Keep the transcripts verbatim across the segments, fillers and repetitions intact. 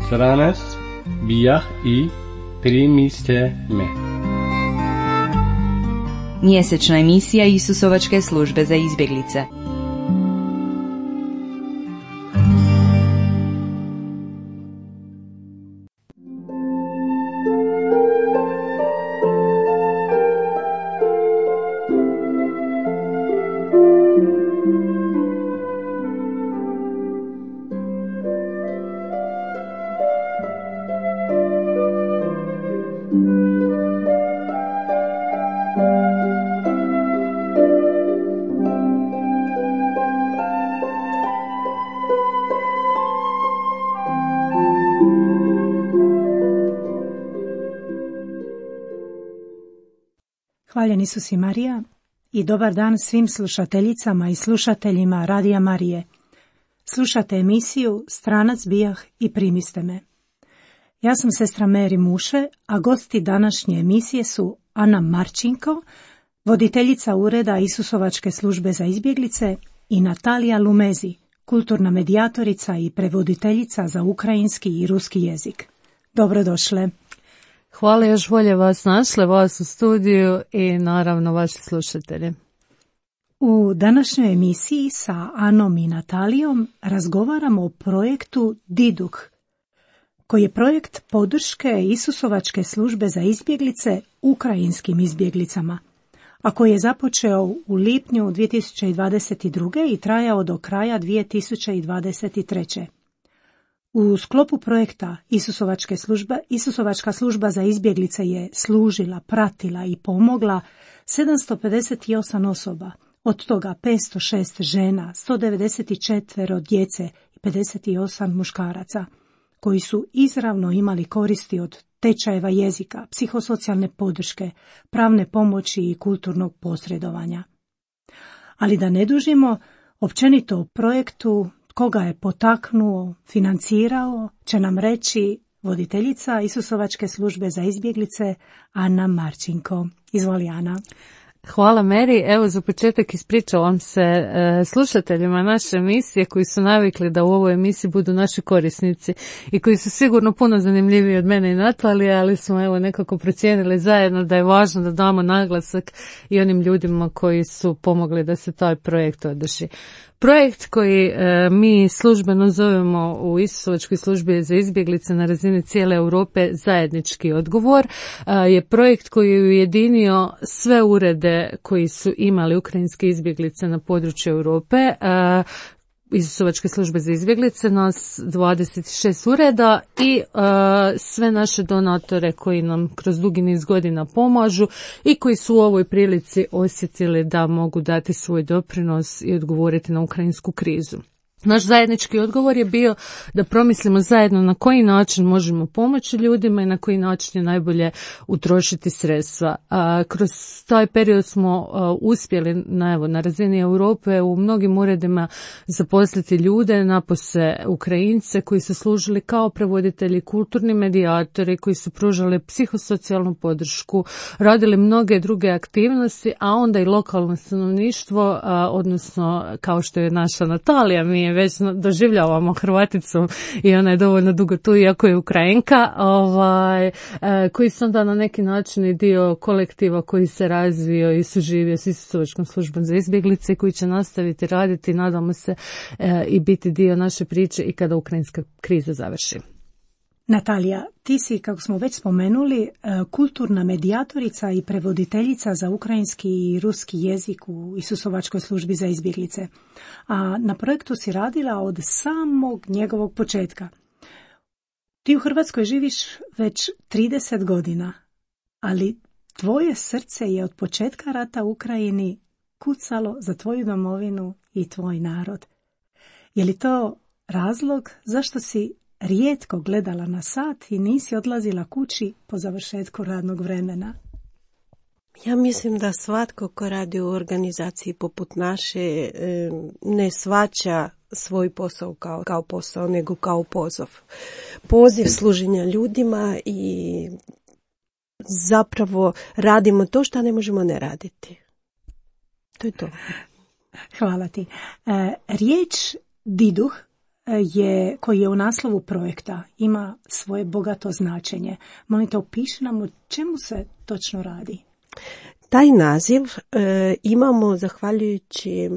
Stranas bijah i primiste me. Mjesečna emisija Isusovačke službe za izbjeglice. Hvaljen Isus i Marija i dobar dan svim slušateljicama i slušateljima Radija Marije. Slušate emisiju Stranac bijah i primiste me. Ja sam sestra Meri Muše, a gosti današnje emisije su Ana Marčinko, voditeljica ureda Isusovačke službe za izbjeglice, i Natalija Lumezi, kulturna medijatorica i prevoditeljica za ukrajinski i ruski jezik. Dobrodošle. Hvala, još bolje vas našle, vas u studiju i naravno vaši slušatelji. U današnjoj emisiji sa Anom i Natalijom razgovaramo o projektu Diduk, koji je projekt podrške Isusovačke službe za izbjeglice ukrajinskim izbjeglicama, a koji je započeo u lipnju dvije tisuće dvadeset druge. i trajao do kraja dvije tisuće dvadeset treće. U sklopu projekta Isusovačke službe, Isusovačka služba za izbjeglice je služila, pratila i pomogla sedamsto pedeset osam osoba, od toga petsto šest žena, sto devedeset četiri djece i pedeset osam muškaraca, koji su izravno imali koristi od tečajeva jezika, psihosocijalne podrške, pravne pomoći i kulturnog posredovanja. Ali da ne dužimo, općenito o projektu, koga je potaknuo, financirao, će nam reći voditeljica Isusovačke službe za izbjeglice Ana Marčinko. Izvoli, Ana. Hvala, Meri. Evo, za početak ispričavam se e, slušateljima naše emisije koji su navikli da u ovoj emisiji budu naši korisnici i koji su sigurno puno zanimljiviji od mene i Natalije, ali smo evo nekako procijenili zajedno da je važno da damo naglasak i onim ljudima koji su pomogli da se taj projekt održi. Projekt koji e, mi službeno zovemo u Isusovačkoj službi za izbjeglice na razini cijele Europe zajednički odgovor, e, je projekt koji je ujedinio sve urede koji su imali ukrajinske izbjeglice na području Europe, e, Isusovačke službe za izbjeglice, nas dvadeset šest ureda i uh, sve naše donatore koji nam kroz dugi niz godina pomažu i koji su u ovoj prilici osjetili da mogu dati svoj doprinos i odgovoriti na ukrajinsku krizu. Naš zajednički odgovor je bio da promislimo zajedno na koji način možemo pomoći ljudima i na koji način je najbolje utrošiti sredstva. A, kroz taj period smo a, uspjeli na, evo, na razini Europe u mnogim uredima zaposliti ljude, napose Ukrajince koji su služili kao prevoditelji, kulturni medijatori, koji su pružali psihosocijalnu podršku, radili mnoge druge aktivnosti, a onda i lokalno stanovništvo, a, odnosno kao što je naša Natalija, mi već doživljavamo Hrvaticu i ona je dovoljno dugo tu, iako je Ukrajinka, ovaj, koji su onda na neki način i dio kolektiva koji se razvio i suživio s Isusovačkom službom za izbjeglice, koji će nastaviti raditi, nadamo se, i biti dio naše priče i kada ukrajinska kriza završi. Natalija, ti si, kako smo već spomenuli, kulturna medijatorica i prevoditeljica za ukrajinski i ruski jezik u Isusovačkoj službi za izbjeglice. A na projektu si radila od samog njegovog početka. Ti u Hrvatskoj živiš već trideset godina, ali tvoje srce je od početka rata u Ukrajini kucalo za tvoju domovinu i tvoj narod. Je li to razlog zašto si rijetko gledala na sat i nisi odlazila kući po završetku radnog vremena? Ja mislim da svatko ko radi u organizaciji poput naše ne shvaća svoj posao kao, kao posao, nego kao poziv. Poziv služenja ljudima i zapravo radimo to što ne možemo ne raditi. To je to. Hvala ti. E, riječ diduh je, koji je u naslovu projekta, ima svoje bogato značenje. Molim te, opiši nam o čemu se točno radi. Taj naziv e, imamo zahvaljujući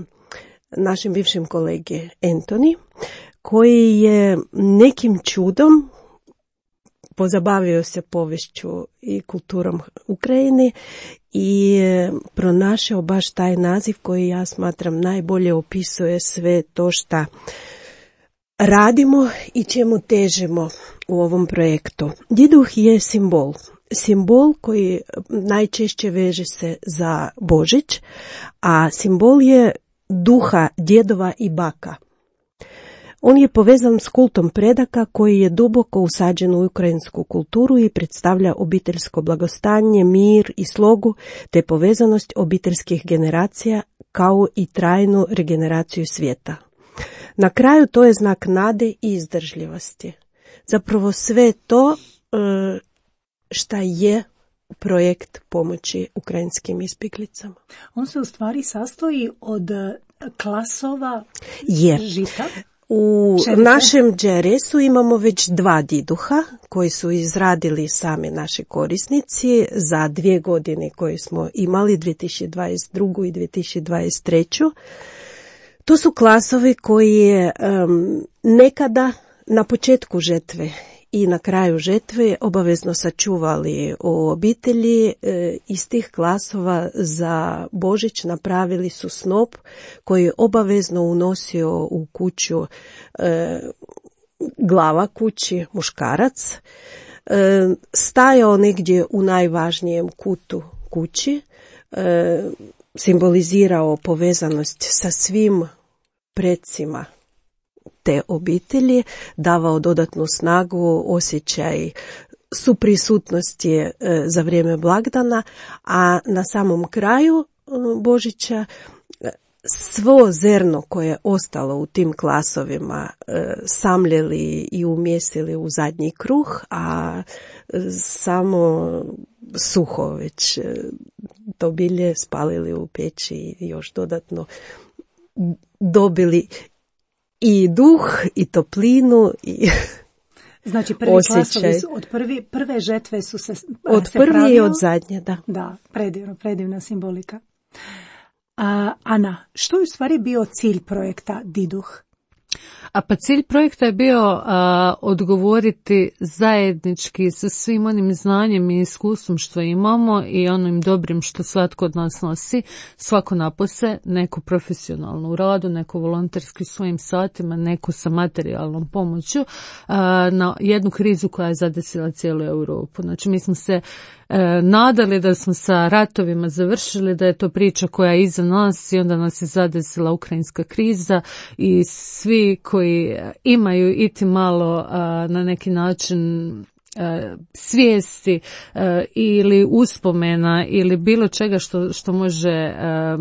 našem bivšem kolege Antoni, koji je nekim čudom pozabavio se poviješću i kulturom Ukrajine i pronašao baš taj naziv koji ja smatram najbolje opisuje sve to što radimo i čemu težimo u ovom projektu. Diduh je simbol. Simbol koji najčešće veže se za Božić, a simbol je duha djedova i baka. On je povezan s kultom predaka koji je duboko usađen u ukrajinsku kulturu i predstavlja obiteljsko blagostanje, mir i slogu, te povezanost obiteljskih generacija kao i trajnu regeneraciju svijeta. Na kraju to je znak nade i izdržljivosti. Zapravo sve to šta je projekt pomoći ukrajinskim izbjeglicama. On se u stvari sastoji od klasova je. žita. U Šerice. našem džeresu imamo već dva diduha koji su izradili sami naši korisnici za dvije godine koje smo imali, dvije tisuće dvadeset drugu i dvije tisuće dvadeset treću. To su klasovi koji um, nekada na početku žetve i na kraju žetve obavezno sačuvali u obitelji. E, iz tih klasova za Božić napravili su snop koji je obavezno unosio u kuću e, glava kući, muškarac, e, stajao negdje u najvažnijem kutu kući, e, simbolizirao povezanost sa svim predsima te obitelji, davao dodatnu snagu, osjećaj suprisutnosti e, za vrijeme blagdana, a na samom kraju e, Božića svo zrno koje je ostalo u tim klasovima e, samljeli i umjesili u zadnji kruh, a e, samo suho već e, to bilje spalili u peći i još dodatno dobili i duh, i toplinu, i znači prvi osjećaj. klasovi su od prvi, prve žetve su se Od se prvi pravio. i od zadnje, da. Da, predivno, predivna simbolika. A, Ana, što je u stvari bio cilj projekta Diduh? A pa cilj projekta je bio a, odgovoriti zajednički sa svim onim znanjem i iskustvom što imamo i onim dobrim što svatko od nas nosi, svako napose, neko profesionalno u radu, neko volonterski svojim satima, neko sa materijalnom pomoću a, na jednu krizu koja je zadesila cijelu Europu. Znači mi smo se e, nadali da smo sa ratovima završili, da je to priča koja je iza nas i onda nas je zadesila ukrajinska kriza i svi koji imaju iti malo a, na neki način a, svijesti a, ili uspomena ili bilo čega što, što može a,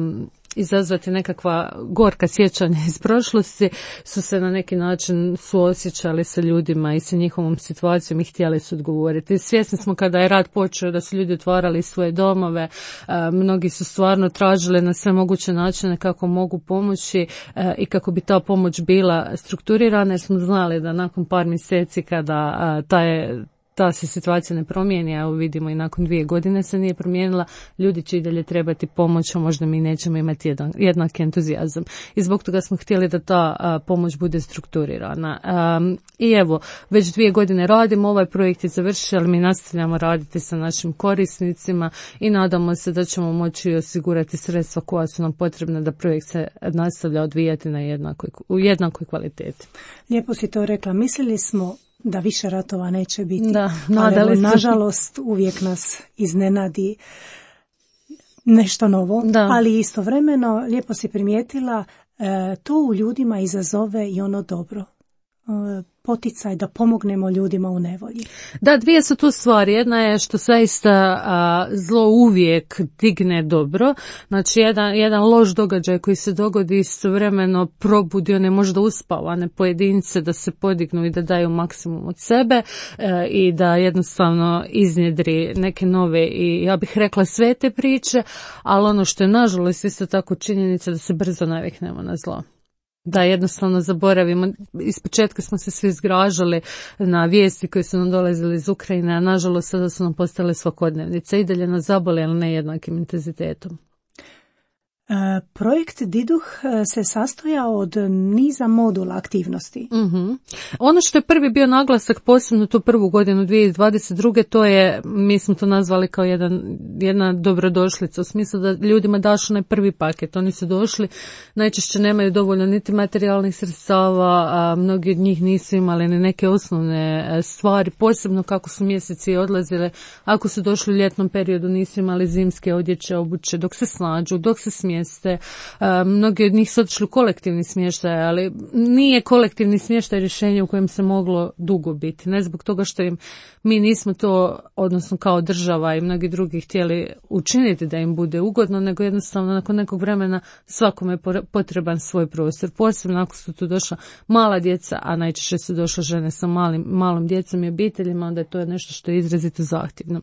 izazvati nekakva gorka sjećanja iz prošlosti, su se na neki način suosjećali sa ljudima i sa njihovom situacijom i htjeli su odgovoriti. Svjesni smo kada je rat počeo da su ljudi otvarali svoje domove, a, mnogi su stvarno tražili na sve moguće načine kako mogu pomoći a, i kako bi ta pomoć bila strukturirana, jer smo znali da nakon par mjeseci kada a, ta je ta se situacija ne promijeni, a vidimo i nakon dvije godine se nije promijenila, ljudi će i dalje trebati pomoć, a možda mi nećemo imati jedan, jednak entuzijazam. I zbog toga smo htjeli da ta a, pomoć bude strukturirana. Um, I evo, već dvije godine radimo, ovaj projekt je završio, ali mi nastavljamo raditi sa našim korisnicima i nadamo se da ćemo moći osigurati sredstva koja su nam potrebna da projekt se nastavlja odvijati na jednakoj, u jednakoj kvaliteti. Lijepo si to rekla. Mislili smo da više ratova neće biti. Da, nadali ali se. evo, Nažalost, uvijek nas iznenadi nešto novo, da. Ali istovremeno, lijepo si primijetila, e, to u ljudima izazove i ono dobro. poticaj da pomognemo ljudima u nevolji. Da, dvije su tu stvari. Jedna je što zaista a, zlo uvijek digne dobro. Znači, jedan, jedan loš događaj koji se dogodi istovremeno probudi one možda uspavane pojedince da se podignu i da daju maksimum od sebe e, i da jednostavno iznjedri neke nove i ja bih rekla sve te priče, ali ono što je nažalost isto tako činjenica da se brzo naviknemo na zlo. Da jednostavno zaboravimo. Ispočetka smo se svi zgražali na vijesti koje su nam dolazile iz Ukrajine, a nažalost sada su nam postale svakodnevnice i dalje nas zabole, ali ne jednakim intenzitetom. E, projekt Diduh se sastoja od niza modula aktivnosti. Mm-hmm. Ono što je prvi bio naglasak, posebno tu prvu godinu dvije tisuće dvadeset druge, to je, mi smo to nazvali kao jedan, jedna dobrodošlica, u smislu da ljudima daš onaj prvi paket. Oni su došli, najčešće nemaju dovoljno niti materijalnih sredstava, a mnogi od njih nisu imali ni neke osnovne stvari, posebno kako su mjeseci odlazile. Ako su došli u ljetnom periodu, nisu imali zimske odjeće, obuće, dok se snađu, dok se smije Mjeste. Mnogi od njih su otišli u kolektivni smještaj, ali nije kolektivni smještaj rješenje u kojem se moglo dugo biti. Ne zbog toga što im mi nismo to, odnosno kao država i mnogi drugi htjeli učiniti da im bude ugodno, nego jednostavno nakon nekog vremena svakome je potreban svoj prostor. Posebno ako su tu došla mala djeca, a najčešće su došle žene sa malim, malom djecom i obiteljima, onda je to nešto što je izrazito zahtjevno.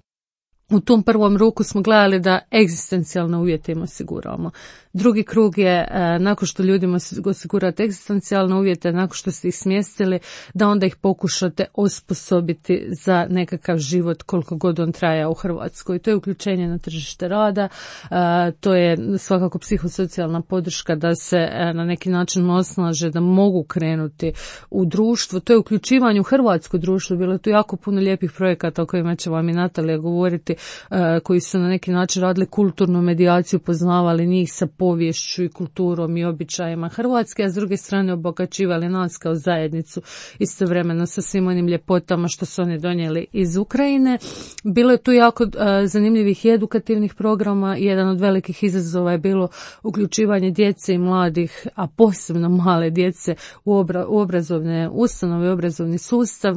U tom prvom ruku smo gledali da egzistencijalne uvjete im osiguramo. Drugi krug je, e, nakon što ljudima osigurate egzistencijalne uvjete, nakon što ste ih smjestili, da onda ih pokušate osposobiti za nekakav život koliko god on traja u Hrvatskoj. To je uključenje na tržište rada, e, to je svakako psihosocijalna podrška da se e, na neki način osnaže, da mogu krenuti u društvo. To je uključivanje u hrvatsko društvo. Bilo je tu jako puno lijepih projekata o kojima će vam i Natalija govoriti, e, koji su na neki način radili kulturnu medijaciju, poznavali njih sa poviješću i kulturom i običajima Hrvatske, a s druge strane obogaćivali nas kao zajednicu istovremeno sa svim onim ljepotama što su oni donijeli iz Ukrajine. Bilo je tu jako uh, zanimljivih i edukativnih programa. Jedan od velikih izazova je bilo uključivanje djece i mladih, a posebno male djece u, obra- u obrazovne ustanove, obrazovni sustav.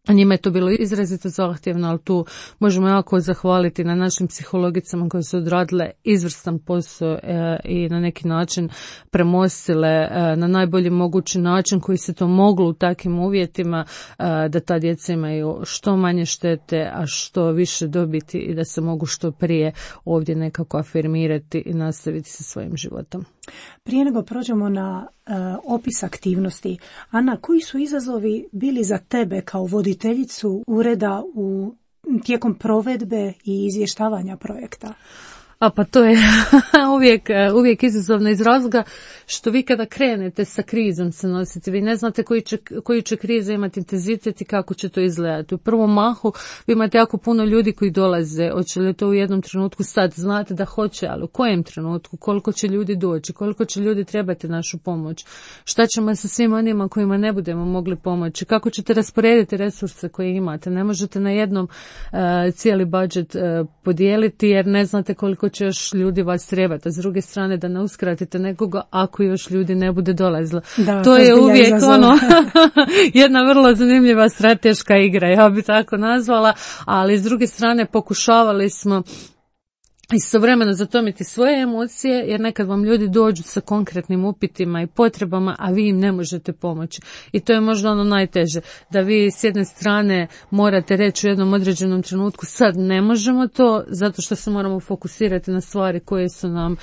Njima je to bilo izrazito zahtjevno, ali tu možemo jako zahvaliti na našim psihologicama koje su odradile izvrstan posao e, i na neki način premostile e, na najbolji mogući način koji se to moglo u takvim uvjetima, e, da ta djeca imaju što manje štete, a što više dobiti i da se mogu što prije ovdje nekako afirmirati i nastaviti sa svojim životom. Prije nego prođemo na uh, opis aktivnosti, Ana, koji su izazovi bili za tebe kao voditeljicu ureda u tijekom provedbe i izvještavanja projekta? A pa to je uvijek, uvijek izazovno iz razloga što vi kada krenete sa krizom se nosite, vi ne znate koji će, koji će kriza imati intenzitet i kako će to izgledati. U prvom mahu vi imate jako puno ljudi koji dolaze, hoće li to u jednom trenutku sad, znate da hoće, ali u kojem trenutku, koliko će ljudi doći, koliko će ljudi trebati našu pomoć, šta ćemo sa svim onima kojima ne budemo mogli pomoći, kako ćete rasporediti resurse koje imate, ne možete na jednom uh, cijeli budžet uh, podijeliti jer ne znate koliko će još ljudi vas trebati, a s druge strane da ne uskratite nekoga ako još ljudi ne bude dolazilo. Da, to je uvijek ono jedna vrlo zanimljiva strateška igra, ja bi tako nazvala, ali s druge strane pokušavali smo istovremeno zatomiti svoje emocije, jer nekad vam ljudi dođu sa konkretnim upitima i potrebama, a vi im ne možete pomoći. I to je možda ono najteže, da vi s jedne strane morate reći u jednom određenom trenutku sad ne možemo to, zato što se moramo fokusirati na stvari koje su nam e,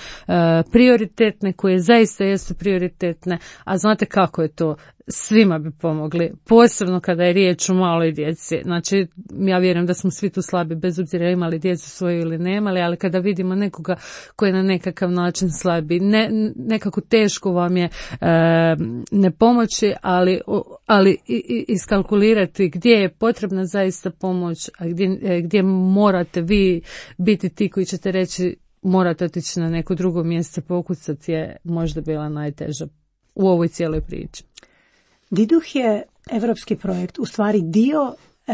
prioritetne, koje zaista jesu prioritetne, a znate kako je to? Svima bi pomogli, posebno kada je riječ o maloj djeci. Znači, ja vjerujem da smo svi tu slabi, bez obzira imali djecu svoju ili nemali, ali kada vidimo nekoga koji je na nekakav način slabi, ne, nekako teško vam je e, ne pomoći, ali, ali iskalkulirati gdje je potrebna zaista pomoć, a gdje, gdje morate vi biti ti koji ćete reći morate otići na neko drugo mjesto pokucati, je možda bila najteža u ovoj cijeloj priči. Diduh je evropski projekt, u stvari dio e,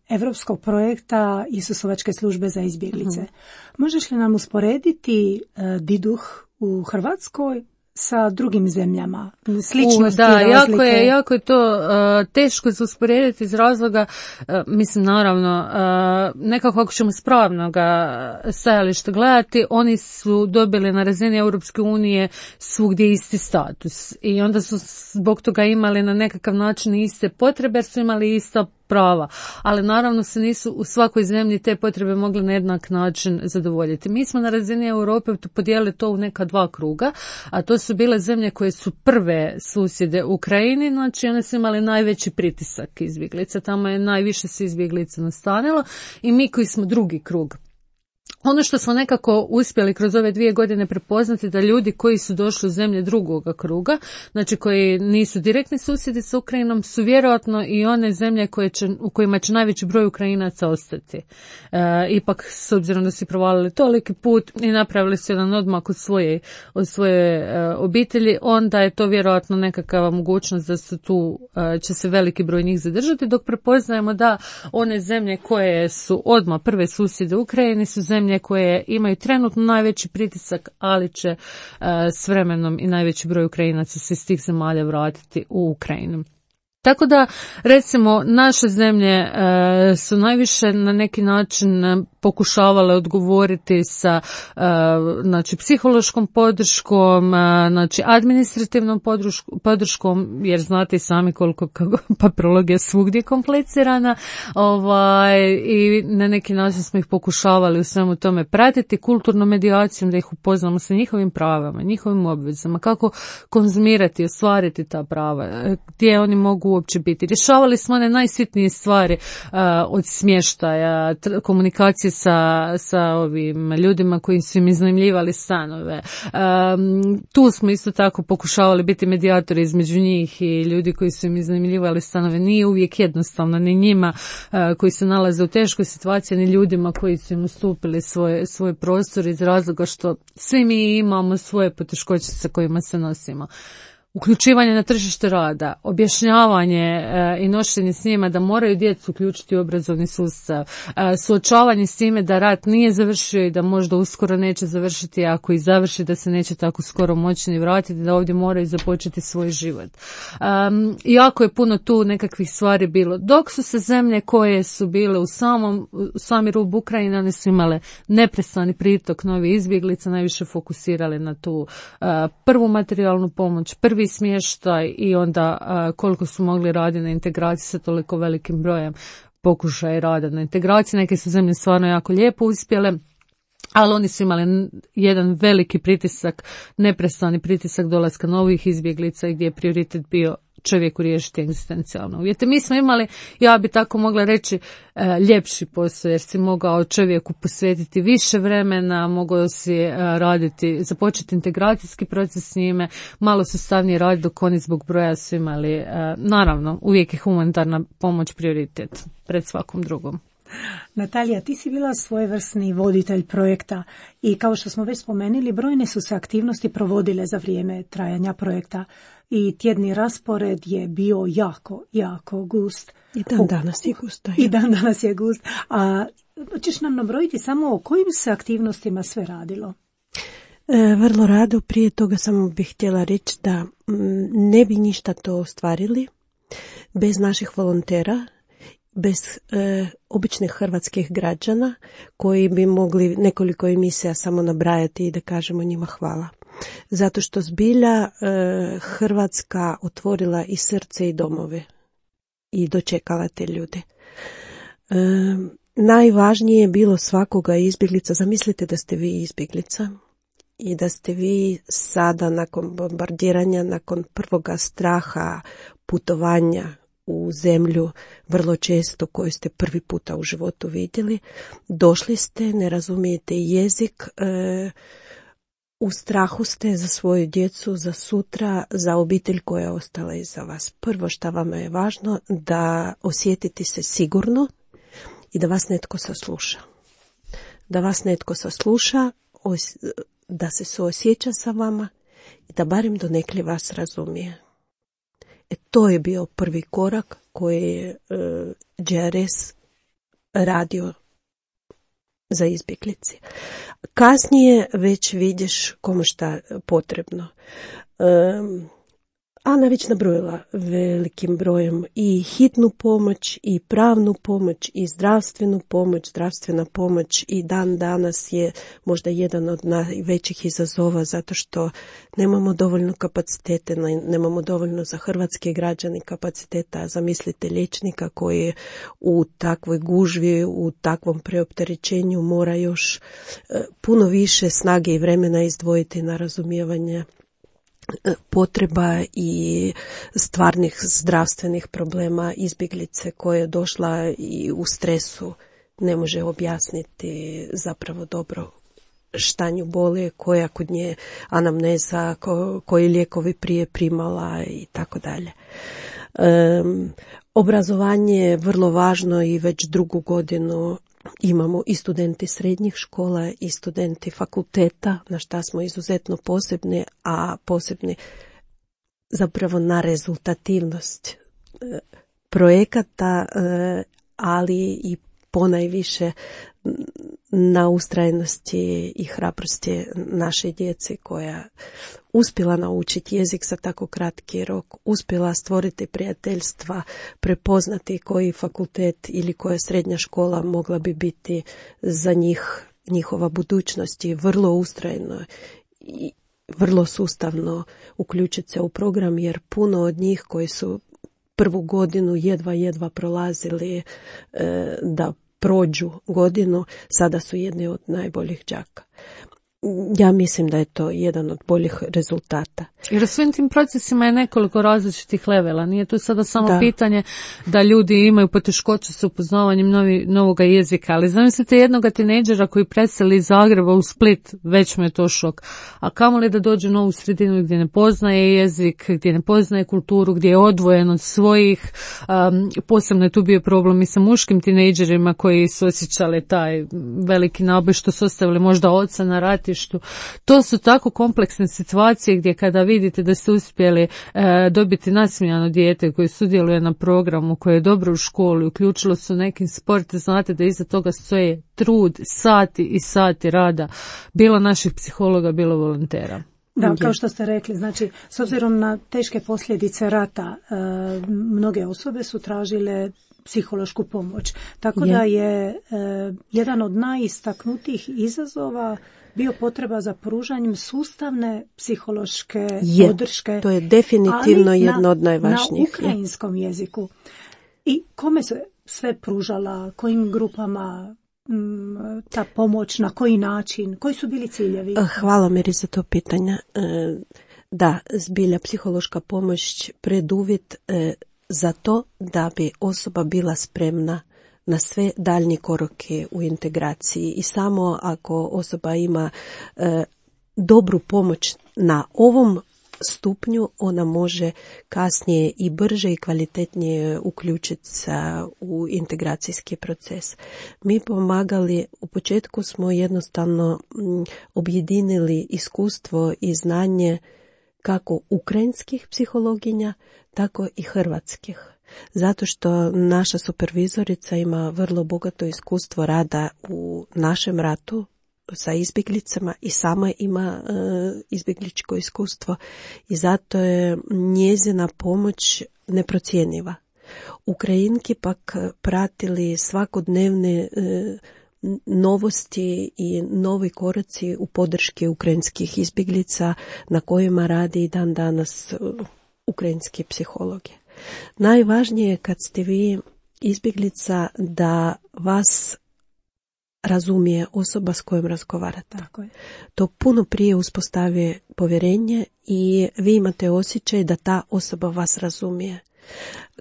evropskog projekta Isusovačke službe za izbjeglice. Uh-huh. Možeš li nam usporediti e, Diduh u Hrvatskoj sa drugim zemljama? Sličnosti, da, razlike? jako je, jako je to uh, teško za usporediti iz razloga, uh, mislim naravno, uh, nekako ako ćemo s pravnog stajališta gledati, oni su dobili na razini Europske unije svugdje isti status i onda su zbog toga imali na nekakav način iste potrebe jer su imali ista prava, ali naravno se nisu u svakoj zemlji te potrebe mogle na jednak način zadovoljiti. Mi smo na razini Europe podijelili to u neka dva kruga, a to su bile zemlje koje su prve susjede Ukrajini, znači one su imali najveći pritisak izbjeglica, tamo je najviše se izbjeglica nastanilo i mi koji smo drugi krug. Ono što smo nekako uspjeli kroz ove dvije godine prepoznati da ljudi koji su došli u zemlje drugoga kruga, znači koji nisu direktni susjedi sa Ukrajinom, su vjerojatno i one zemlje koje će, u kojima će najveći broj Ukrajinaca ostati. E, ipak, s obzirom da su provalili toliki put i napravili su jedan odmak od svoje, od svoje e, obitelji, onda je to vjerojatno nekakva mogućnost da su tu, e, će se veliki broj njih zadržati, dok prepoznajemo da one zemlje koje su odmah prve susjede Ukrajini su zemlje koje imaju trenutno najveći pritisak, ali će uh, s vremenom i najveći broj Ukrajinaca se iz tih zemalja vratiti u Ukrajinu. Tako da, recimo, naše zemlje e, su najviše na neki način pokušavale odgovoriti sa e, znači, psihološkom podrškom, e, znači administrativnom podrškom, podrškom, jer znate i sami koliko papirologija svugdje komplicirana, ovaj, i na neki način smo ih pokušavali u svemu tome pratiti kulturnom medijacijom, da ih upoznamo sa njihovim pravama, njihovim obvezama, kako konzumirati, ostvariti ta prava, gdje oni mogu uopće biti. Rješavali smo one najsitnije stvari uh, od smještaja, tr- komunikacije sa, sa ovim ljudima koji su im iznajmljivali stanove. Um, tu smo isto tako pokušavali biti medijatori između njih i ljudi koji su im iznajmljivali stanove. Nije uvijek jednostavno ni njima uh, koji se nalaze u teškoj situaciji, ni ljudima koji su im ustupili svoje, svoje prostor iz razloga što svi mi imamo svoje poteškoće sa kojima se nosimo. Uključivanje na tržište rada, objašnjavanje e, i nošenje s njima da moraju djecu uključiti u obrazovni sustav, e, suočavanje s time da rat nije završio i da možda uskoro neće završiti, ako i završi da se neće tako skoro moći ni vratiti, da ovdje moraju započeti svoj život. Um, jako je puno tu nekakvih stvari bilo. Dok su se zemlje koje su bile u samom u sami rub Ukrajine, one su imale neprestani pritok novih izbjeglica, najviše fokusirali na tu uh, prvu materijalnu pomoć, prvi smještaj i onda uh, koliko su mogli raditi na integraciji sa toliko velikim brojem pokušaja rada na integraciji. Neke su zemlje stvarno jako lijepo uspjele, ali oni su imali jedan veliki pritisak, neprestani pritisak dolaska novih izbjeglica gdje je prioritet bio čovjeku riješiti egzistencijalne uvjete. Mi smo imali, ja bi tako mogla reći, ljepši posao, jer si mogao čovjeku posvetiti više vremena, mogao si raditi, započeti integracijski proces s njime, malo sustavnije raditi, dok oni zbog broja su imali, naravno, uvijek je humanitarna pomoć prioritet pred svakom drugom. Natalija, ti si bila svojevrsni voditelj projekta i kao što smo već spomenuli, brojne su se aktivnosti provodile za vrijeme trajanja projekta i tjedni raspored je bio jako, jako gust. I dan danas je gust. I dan danas je gust. A ćeš nam nabrojiti samo o kojim se aktivnostima sve radilo? E, vrlo rado. Prije toga samo bih htjela reći da m, ne bi ništa to ostvarili bez naših volontera, bez e, običnih hrvatskih građana koji bi mogli nekoliko emisija samo nabrajati i da kažemo njima hvala. Zato što zbilja e, Hrvatska otvorila i srce i domove i dočekala te ljude. E, najvažnije je bilo svakoga izbjeglica. Zamislite da ste vi izbjeglica i da ste vi sada nakon bombardiranja, nakon prvoga straha putovanja u zemlju vrlo često koju ste prvi puta u životu vidjeli, došli ste, ne razumijete jezik, e, u strahu ste za svoju djecu, za sutra, za obitelj koja je ostala iza vas. Prvo što vam je važno da osjetite se sigurno i da vas netko sasluša. Da vas netko sasluša, da se suosjeća sa vama i da barem donekle vas razumije. E, to je bio prvi korak koji je uh, G R S radio za izbjeglice. kasnije već vidiš komu šta potrebno. Um, Ana već nabrojila velikim brojem i hitnu pomoć, i pravnu pomoć, i zdravstvenu pomoć. Zdravstvena pomoć i dan danas je možda jedan od najvećih izazova zato što nemamo dovoljno kapacitete, nemamo dovoljno za hrvatske građane kapaciteta. Zamislite liječnika koji u takvoj gužvi, u takvom preopterećenju mora još puno više snage i vremena izdvojiti na razumijevanje potreba i stvarnih zdravstvenih problema izbjeglice koja je došla i u stresu ne može objasniti zapravo dobro šta nju boli, koja kod nje anamneza, ko, koji lijekovi prije primala i tako dalje. Obrazovanje je vrlo važno i već drugu godinu imamo i studenti srednjih škola i studenti fakulteta, na šta smo izuzetno posebni, a posebni zapravo na rezultativnost projekata, ali i ponajviše na ustrajnosti i hrabrosti naše djece koja uspjela naučiti jezik za tako kratki rok, uspjela stvoriti prijateljstva, prepoznati koji fakultet ili koja srednja škola mogla bi biti za njih, njihova budućnost i vrlo ustrajno i vrlo sustavno uključiti se u program, jer puno od njih koji su prvu godinu jedva jedva prolazili e, da prođu godinu, sada su jedni od najboljih đaka. Ja mislim da je to jedan od boljih rezultata. Jer u svim tim procesima je nekoliko različitih levela. Nije to sada samo da. pitanje da ljudi imaju poteškoće s upoznavanjem novi, novoga jezika, ali zamislite jednog tinejdžera koji preseli iz Zagreba u Split, već mu je to šok. A kamoli da dođe u novu sredinu gdje ne poznaje jezik, gdje ne poznaje kulturu, gdje je odvojen od svojih. Um, posebno je tu bio problem i sa muškim tinejdžerima koji su osjećali taj veliki naboj što su ostavili možda oca na rati. To su tako kompleksne situacije gdje kada vidite da ste uspjeli e, dobiti nasmijano dijete koje sudjeluje na programu, koje je dobro u školi, uključilo se u nekim sport, znate da iza toga stoje trud, sati i sati rada, bilo naših psihologa, bilo volontera. Da, kao što ste rekli, znači, s obzirom na teške posljedice rata, e, mnoge osobe su tražile psihološku pomoć. Tako je. da je e, jedan od najistaknutijih izazova bio potreba za pružanjem sustavne psihološke je, podrške. To je definitivno jedno od najvažnijih. Na ukrajinskom jeziku. I kome se sve pružala, kojim grupama m, ta pomoć, na koji način, koji su bili ciljevi? Hvala Miri za to pitanje. Da, zbilja psihološka pomoć preduvjet za to da bi osoba bila spremna na sve daljnje korake u integraciji i samo ako osoba ima e, dobru pomoć na ovom stupnju, ona može kasnije i brže i kvalitetnije uključiti se u integracijski proces. Mi pomagali, u početku smo jednostavno m, objedinili iskustvo i znanje kako ukrajinskih psihologinja, tako i hrvatskih. Zato što naša supervizorica ima vrlo bogato iskustvo rada u našem ratu sa izbjeglicama i sama ima e, izbjegličko iskustvo i zato je njezina pomoć neprocjenjiva. Ukrajinki pak pratili svakodnevne e, novosti i novi koraci u podrški ukrajinskih izbjeglica na kojima radi i dan danas ukrajinski psihologi. Najvažnije je kad ste vi izbjeglica da vas razumije osoba s kojom razgovarate. Tako je. To puno prije uspostavi povjerenje i vi imate osjećaj da ta osoba vas razumije.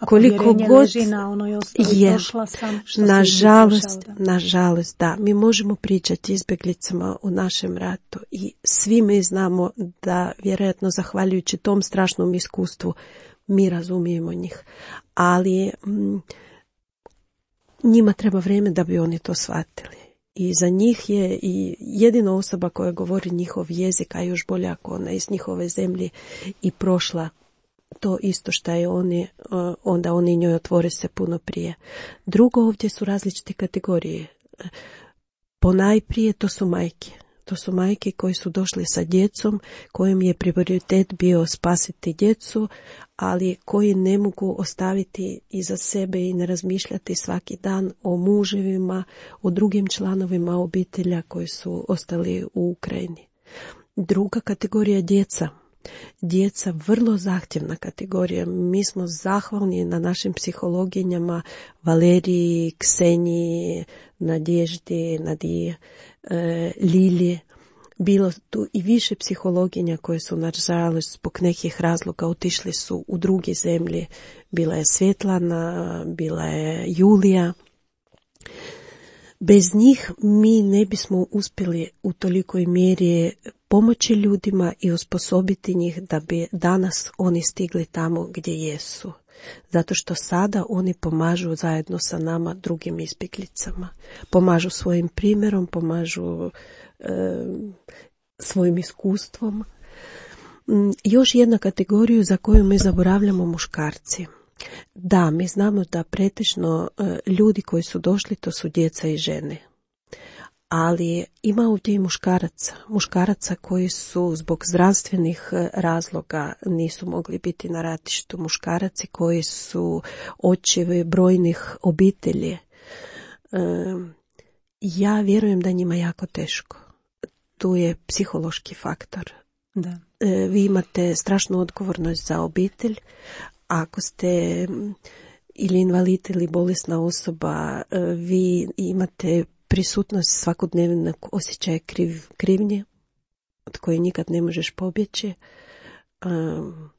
A koliko god leži na onoj osnovi, je, došla sam, što nažalost, nažalost, da, mi možemo pričati izbjeglicama u našem ratu i svi mi znamo da vjerojatno zahvaljujući tom strašnom iskustvu mi razumijemo njih, ali m, njima treba vrijeme da bi oni to shvatili. I za njih je i jedina osoba koja govori njihov jezik, a još bolje ako ona iz njihove zemlje i prošla to isto što je oni, onda oni njoj otvore se puno prije. Drugo, ovdje su različite kategorije. Ponajprije to su majke. To su majke koje su došle sa djecom, kojim je prioritet bio spasiti djecu, ali koji ne mogu ostaviti iza sebe i ne razmišljati svaki dan o muževima, o drugim članovima obitelja koji su ostali u Ukrajini. Druga kategorija djeca. Djeca vrlo zahtjevna kategorija. Mi smo zahvalni na našim psihologinjama Valeriji, Kseniji, Nadježdi, Nadije, e, Lilije. Bilo tu i više psihologinja koje su nažalost zbog nekih razloga otišli su u druge zemlje. Bila je Svjetlana, bila je Julija. Bez njih mi ne bismo uspjeli u tolikoj mjeri pomoći ljudima i osposobiti njih da bi danas oni stigli tamo gdje jesu. Zato što sada oni pomažu zajedno sa nama drugim izbjeglicama. Pomažu svojim primjerom, pomažu e, svojim iskustvom. Još jedna kategorija za koju mi zaboravljamo, muškarci. Da, mi znamo da pretežno ljudi koji su došli to su djeca i žene. Ali ima ovdje i muškaraca. Muškaraca koji su zbog zdravstvenih razloga nisu mogli biti na ratištu. Muškaraci koji su očevi brojnih obitelji. Ja vjerujem da njima jako teško. Tu je psihološki faktor. Da. Vi imate strašnu odgovornost za obitelj. Ako ste ili invalid ili bolesna osoba, vi imate prisutnost svakodnevnog osjećaja kriv, krivnje, od koje nikad ne možeš pobjeći. Um,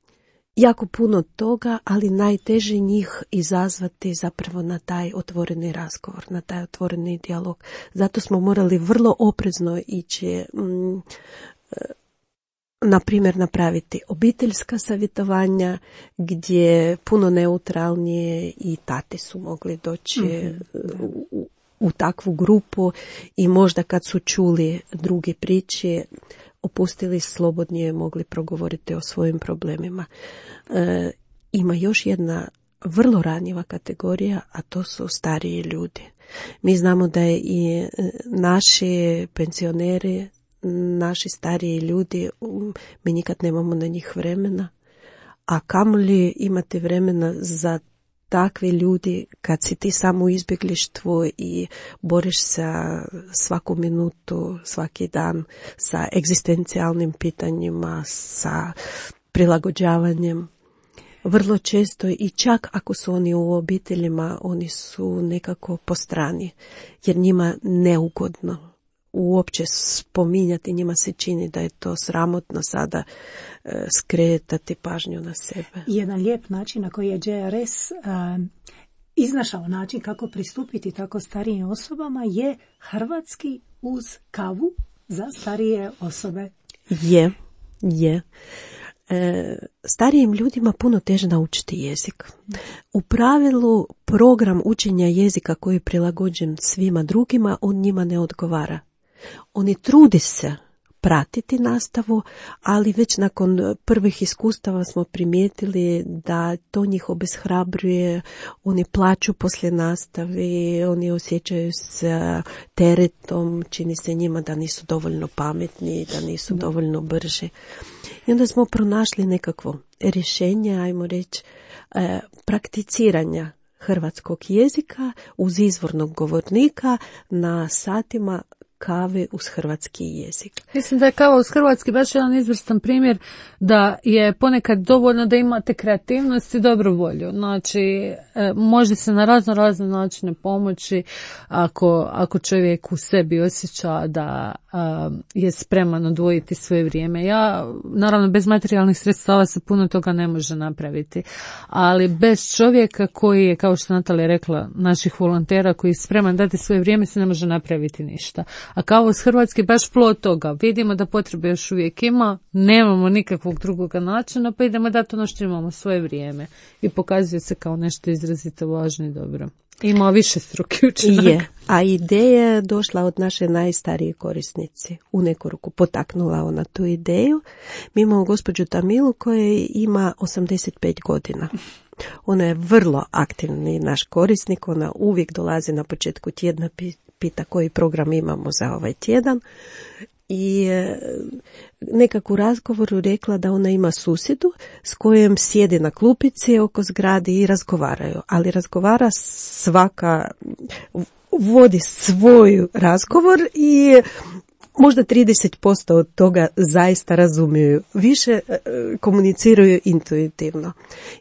jako puno toga, ali najteže njih izazvati zapravo na taj otvoreni razgovor, na taj otvoreni dijalog. Zato smo morali vrlo oprezno ići, um, na primjer, napraviti obiteljska savjetovanja gdje puno neutralnije i tate su mogli doći mm-hmm. u, u takvu grupu i možda kad su čuli druge priče, opustili slobodnije, mogli progovoriti o svojim problemima. E, ima još jedna vrlo ranjiva kategorija, a to su stariji ljudi. Mi znamo da je i naši pensioneri, naši stariji ljudi, mi nikad nemamo na njih vremena, a kamoli imate vremena za takvi ljudi kad si ti samo u izbjeglištvu i boriš se svaku minutu, svaki dan sa egzistencijalnim pitanjima, sa prilagođavanjem. Vrlo često i čak ako su oni u obiteljima, oni su nekako po strani, jer njima neugodno uopće spominjati, njima se čini da je to sramotno sada e, skretati pažnju na sebe. Jedan lijep način na koji je J R S e, iznašao način kako pristupiti tako starijim osobama je hrvatski uz kavu za starije osobe. Je, je. E, starijim ljudima puno teže naučiti jezik. U pravilu program učenja jezika koji je prilagođen svima drugima, on njima ne odgovara. Oni trude se pratiti nastavu, ali već nakon prvih iskustava smo primijetili da to njih obeshrabruje, oni plaču poslije nastave, oni osjećaju se teretom, čini se njima da nisu dovoljno pametni, da nisu da. dovoljno brži. I onda smo pronašli nekakvo rješenje, ajmo reći, eh, prakticiranja hrvatskog jezika uz izvornog govornika na satima kave uz hrvatski jezik. Mislim da je kava uz hrvatski baš jedan izvrstan primjer da je ponekad dovoljno da imate kreativnost i dobru volju. Znači, e, može se na razno razne načine pomoći ako, ako čovjek u sebi osjeća da a, je spreman odvojiti svoje vrijeme. Ja, naravno, bez materijalnih sredstava se puno toga ne može napraviti, ali bez čovjeka koji je, kao što Natalija rekla, naših volontera koji je spreman dati svoje vrijeme, se ne može napraviti ništa. A kao s Hrvatski baš plod toga. Vidimo da potrebe još uvijek ima, nemamo nikakvog drugog načina, pa idemo dati ono što imamo, svoje vrijeme. I pokazuje se kao nešto izrazito važno i dobro. Ima više struki učinak. Je, a ideja je došla od naše najstarije korisnici. U neku ruku potaknula ona tu ideju. Mi imamo gospođu Tamilu koja ima osamdeset pet godina. Ona je vrlo aktivni naš korisnik, ona uvijek dolazi na početku tjedna, pita koji program imamo za ovaj tjedan i nekako u razgovoru rekla da ona ima susjedu s kojom sjedi na klupici oko zgrade i razgovaraju, ali razgovara svaka, vodi svoj razgovor i možda trideset posto od toga zaista razumiju, više komuniciraju intuitivno.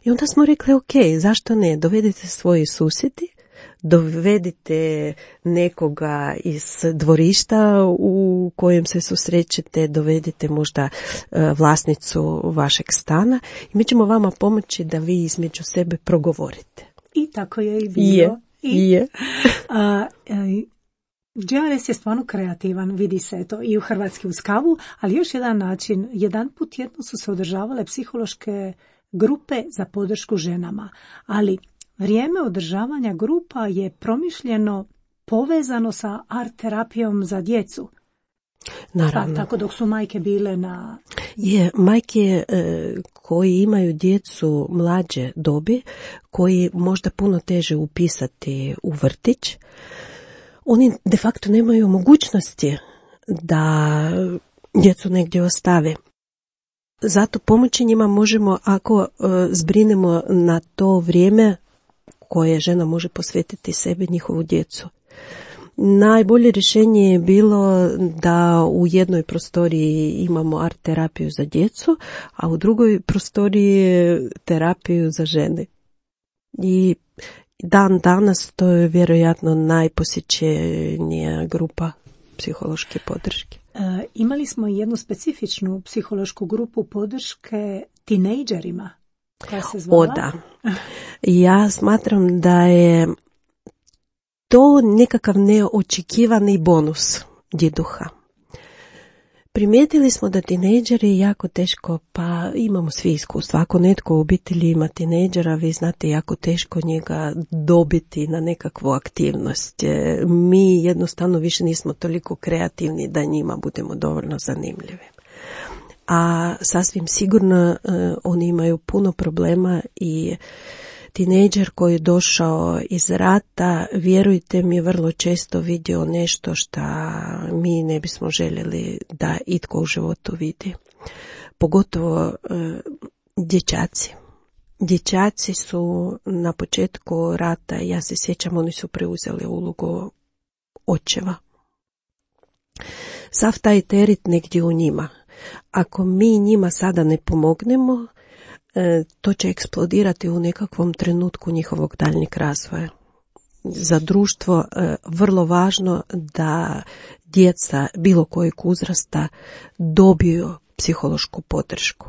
I onda smo rekli, ok, zašto ne, dovedite svoji susjedi, dovedite nekoga iz dvorišta u kojem se susrećete, dovedite možda vlasnicu vašeg stana i mi ćemo vama pomoći da vi između sebe progovorite. I tako je i bilo. Je, I, je. a, a, G R S je stvarno kreativan, vidi se to i u Hrvatski uz kavu, ali još jedan način, jedan put jedno su se održavale psihološke grupe za podršku ženama, ali vrijeme održavanja grupa je promišljeno povezano sa art terapijom za djecu. Naravno. Pa, tako dok su majke bile na... Je, majke e, koji imaju djecu mlađe dobi, koji možda puno teže upisati u vrtić, oni de facto nemaju mogućnosti da djecu negdje ostave. Zato pomoći njima možemo ako e, zbrinemo na to vrijeme koje žena može posvetiti sebi, njihovu djecu. Najbolje rješenje je bilo da u jednoj prostoriji imamo art terapiju za djecu, a u drugoj prostoriji terapiju za žene. I dan danas to je vjerojatno najposjećenija grupa psihološke podrške. E, imali smo jednu specifičnu psihološku grupu podrške tinejdžerima. Koja se zvala? O da. Ja smatram da je to nekakav neočekivani bonus djeduha. Primijetili smo da tinejdžeri jako teško, pa imamo svi iskustva. Ako netko u obitelji ima tinejdžera, vi znate jako teško njega dobiti na nekakvu aktivnost. Mi jednostavno više nismo toliko kreativni da njima budemo dovoljno zanimljivi. A sasvim sigurno uh, oni imaju puno problema i tinejdžer koji je došao iz rata, vjerujte mi, vrlo često vidio nešto što mi ne bismo željeli da itko u životu vidi. Pogotovo uh, dječaci. Dječaci su na početku rata, ja se sjećam, oni su preuzeli ulogu očeva. Sav taj teret negdje u njima. Ako mi njima sada ne pomognemo, to će eksplodirati u nekakvom trenutku njihovog daljnjeg razvoja. Za društvo vrlo važno da djeca bilo kojeg uzrasta dobiju psihološku podršku.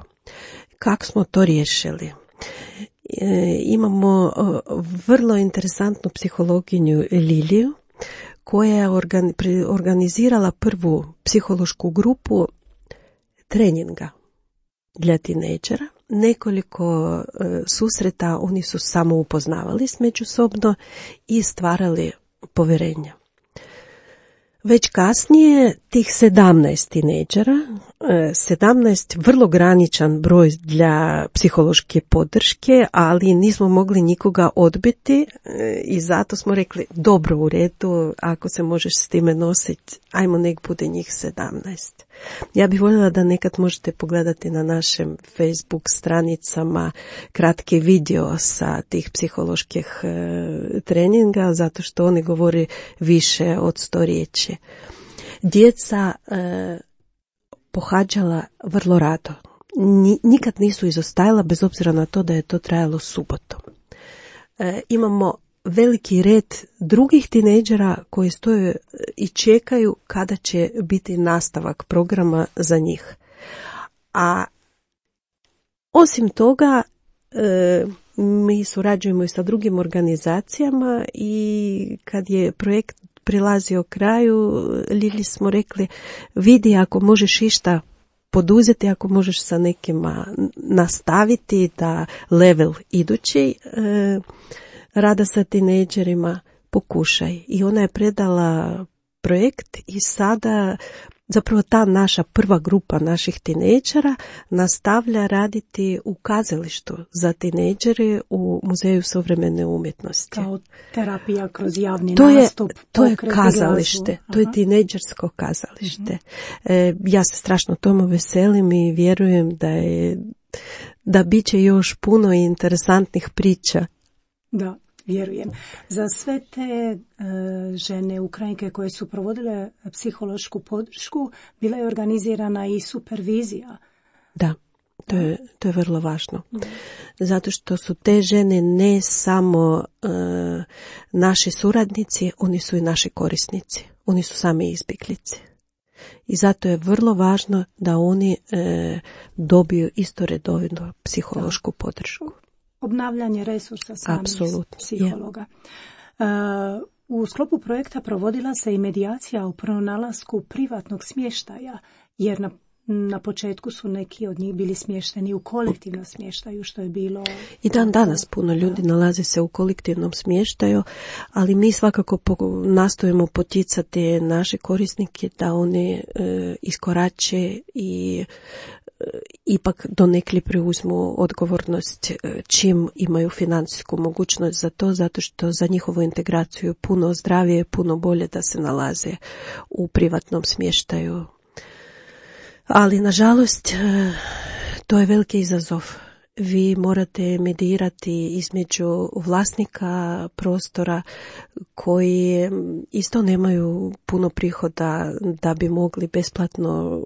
Kako smo to riješili? Imamo vrlo interesantnu psihologinju Liliju koja je organizirala prvu psihološku grupu treninga dla tinejdžera. Nekoliko e, susreta oni su samo upoznavali s međusobno i stvarali povjerenja. Već kasnije tih sedamnaest tinejdžera, sedamnaest vrlo graničan broj dla psihološke podrške, ali nismo mogli nikoga odbiti i zato smo rekli dobro, u redu, ako se možeš s time nositi, ajmo nek bude njih sedamnaest. Ja bih voljela da nekad možete pogledati na našem Facebook stranicama kratki video sa tih psiholoških treninga, zato što oni govori više od sto riječi. Djeca e, pohađala vrlo rado. Nikad nisu izostajala, bez obzira na to da je to trajalo subotom. E, imamo veliki red drugih tinejdžera koji stoje i čekaju kada će biti nastavak programa za njih. A osim toga, e, mi surađujemo i sa drugim organizacijama i kad je projekt prilazio kraju, Lili smo rekli, vidi ako možeš išta poduzeti, ako možeš sa nekima nastaviti da level idući e, rada sa tinejdžerima, pokušaj. I ona je predala projekt i sada zapravo ta naša prva grupa naših tinejdžera nastavlja raditi u kazalištu za tinejdžere u Muzeju suvremene umjetnosti. Kao terapija kroz javni to nastup. Je, to je pokret, kazalište, to je tinejdžersko kazalište. Uh-huh. E, ja se strašno tomu veselim i vjerujem da je da bit će još puno interesantnih priča. Da, vjerujem. Za sve te e, žene Ukrajinke koje su provodile psihološku podršku, bila je organizirana i supervizija. Da, to je, to je vrlo važno. Mm. Zato što su te žene ne samo e, naši suradnici, oni su i naši korisnici. Oni su sami izbjeglice. I zato je vrlo važno da oni e, dobiju isto redovno psihološku podršku. Obnavljanje resursa samih Absolutno. psihologa. Yeah. U sklopu projekta provodila se i medijacija o pronalasku privatnog smještaja, jer na, na početku su neki od njih bili smješteni u kolektivnom smještaju, što je bilo... I dan danas puno ljudi nalazi se u kolektivnom smještaju, ali mi svakako po, nastojimo poticati naše korisnike da oni e, iskorače i ipak donekli preuzmu odgovornost čim imaju financijsku mogućnost za to, zato što za njihovu integraciju puno zdravije, puno bolje da se nalaze u privatnom smještaju. Ali, nažalost, to je veliki izazov. Vi morate meditirati između vlasnika prostora koji isto nemaju puno prihoda da bi mogli besplatno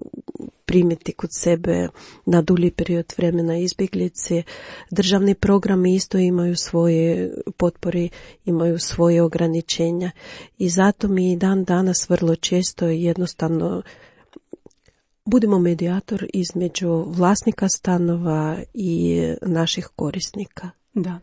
primiti kod sebe na dulji period vremena izbjeglice. Državni programi isto imaju svoje potpore, imaju svoje ograničenja i zato mi dan danas vrlo često jednostavno budemo medijator između vlasnika stanova i naših korisnika. Da.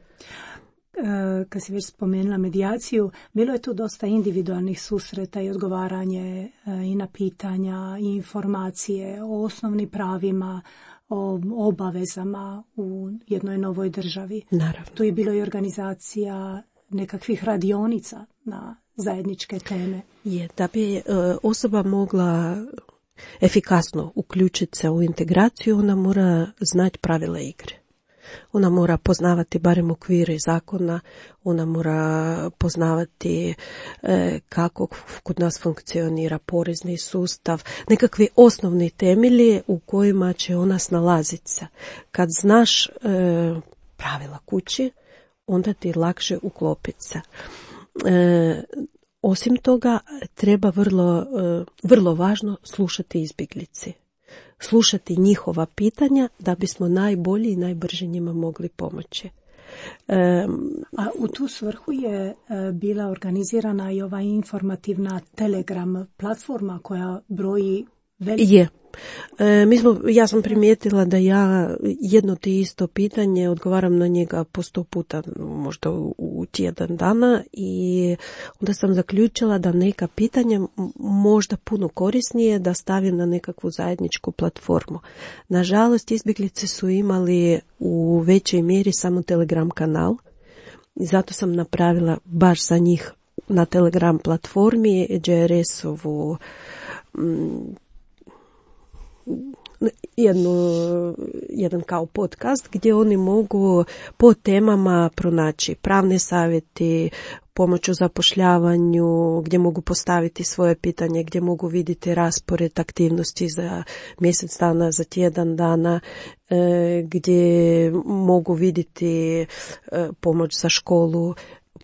Kad si već spomenula medijaciju, bilo je tu dosta individualnih susreta i odgovaranje i na pitanja i informacije o osnovnim pravima, o obavezama u jednoj novoj državi. Naravno. Tu je bilo i organizacija nekakvih radionica na zajedničke teme. Je, da bi osoba mogla efikasno uključiti se u integraciju, ona mora znati pravila igre. Ona mora poznavati barem okvire zakona, ona mora poznavati e, kako kod nas funkcionira porezni sustav, nekakvi osnovni temelji u kojima će ona snalaziti se. Kad znaš e, pravila kući, onda ti lakše uklopiti se. E, Osim toga, treba vrlo, vrlo važno slušati izbjeglice. Slušati njihova pitanja da bismo najbolji i najbrže njima mogli pomoći. A u tu svrhu je bila organizirana i ova informativna Telegram platforma koja broji veliki... Je. E, mi smo, ja sam primijetila da ja jedno te isto pitanje odgovaram na njega po sto puta, možda u, u tjedan dana, i onda sam zaključila da neka pitanja možda puno korisnije da stavim na nekakvu zajedničku platformu. Nažalost, izbjeglice su imali u većoj mjeri samo Telegram kanal i zato sam napravila baš za njih na Telegram platformi J R S-ovu m, jednu, jedan kao podcast gdje oni mogu po temama pronaći pravne savjeti, pomoć u zapošljavanju, gdje mogu postaviti svoje pitanje, gdje mogu vidjeti raspored aktivnosti za mjesec dana, za tjedan dana, gdje mogu vidjeti pomoć za školu,